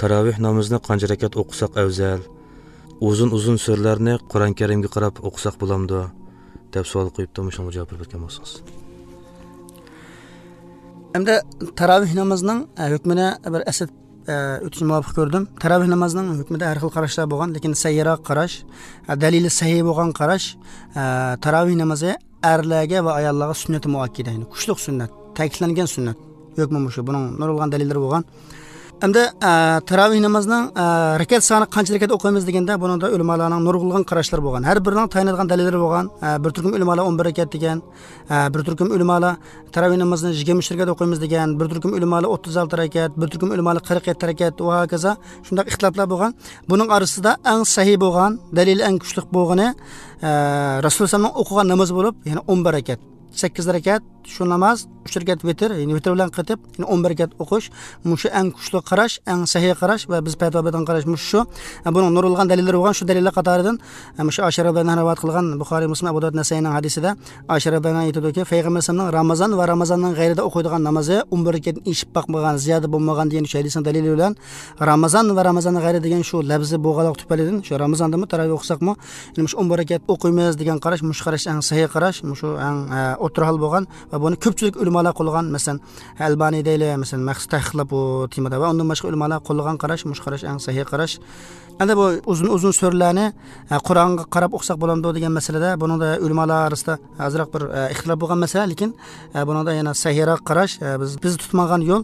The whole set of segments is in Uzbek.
Taravih namozini qancha rakat o'qisak afzal? Uzun-uzun suralarni Qur'on Karimga qarab o'qisak bo'lamdi? Deb savol qo'yibdi. Shunga javob berib o'tgan bo'lsangiz. Endi taravih namozining hukmini bir asl o'tishni muvofiq ko'rdim. Taravih namozining hukmida har xil qarashlar bo'lgan, lekin sahiyroq qarash, dalili sahiy bo'lgan qarash, taravih namozi erlarga va ayollarga sunnati muakkida, ya'ni kuchli sunnat, ta'kidlangan sunnat. Hukmi shu, buning nurg'un dalillari bo'lgan. Endi taravih namozining rakat soni qancha rakat o'qiymiz deganda, buningda ulamolarning nurg'un qarashlari bo'lgan. Har birining tayinlangan dalillari bo'lgan. Bir turkum ulamolar 11 rakat degan, bir turkum ulamolar taravih namozini 23 rakat o'qiymiz degan, bir turkum ulamolar 36 rakat, bir turkum ulamolar 47 rakat va hokazo shunday ixtiloflar bo'lgan. Buning orasida eng sahiy bo'lgan, dalili eng kuchli bo'lgani Rasulullohning o'qigan namozi bo'lib, ya'ni 11 rakat. 8 rakat shu namoz, 3 rakat vitr, ya'ni vitr bilan qitib, ya'ni 11 rakat o'qish, mushu eng kuchli qarash, eng sahiy qarash va biz fatvo bergan qarash mushu shu. Buning nurulgan dalillari bo'lgan, shu dalillar qatoridan mushu Oysha radhiyallohu anha rivoyat qilgan Buxoriy, Muslim, Abu Dovud, Nasaining hadisida Oysha radhiyallohu anha aytadiki, Payg'ambarimizning Ramazon va Ramazonning g'ayrida o'qiydigan namozi 11 rakatdan eshib boqmagan, ziyoda bo'lmagan degan shu hadisning dalili bilan Ramazon va Ramazonning g'ayri degan shu lafzi bo'lganlik tufaylidan shu Ramazondami taroveh o'qisakmi, ya'ni mushu 11 rakat o'qiymiz degan qarash, mushu qarash eng sahiy qarash, mushu eng o'rta hol bo'lgan va buni ko'pchilik ulamolar qo'llagan, masalan Albaniy deyli, masalan maxsus tahqiqlab bu temada va undan boshqa ulamolar qo'llagan qarash, mush qarash eng sahiy qarash. Endi bu uzun-uzun suralarni Qur'onga qarab o'qisak bo'lamdi degan masalada buningda ulamolar orasida ozroq bir ixtilof bo'lgan masala, lekin buningda yana sahiyroq qarash, biz tutmagan yo'l,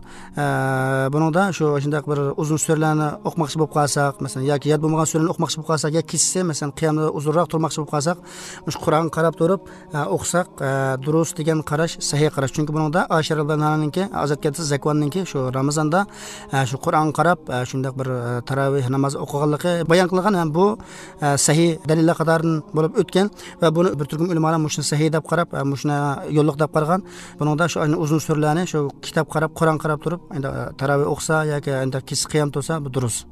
buningda shu shunday bir uzun suralarni o'qimoqchi bo'lib qolsak, masalan yoki yod bo'lmagan suralarni o'qimoqchi bo'lib qolsak, yoki kechsa masalan qiyamda uzunroq turmoqchi bo'lib qolsak, shu Qur'onga qarab turib o'qisak durust degan qarash sahiy qarash. Chunki buningda Oysha radhiyallohu anhaninki, Azat Katsi Zakvonninki shu Ramazonda shu Qur'onga qarab shunday bir taroveh namozi o'qiganligi bayon qilgan ham bu sahiy dalillar qatoridan bo'lib o'tgan va buni bir turkum ulamolar mushuni sahiy deb qarab, mushuni yo'lliq deb qaragan. Buningda shu uzun suralarni shu kitob qarab, Qur'on qarab turib, endi taroveh o'qisa yoki endi kechki qiyam tursa bu durust.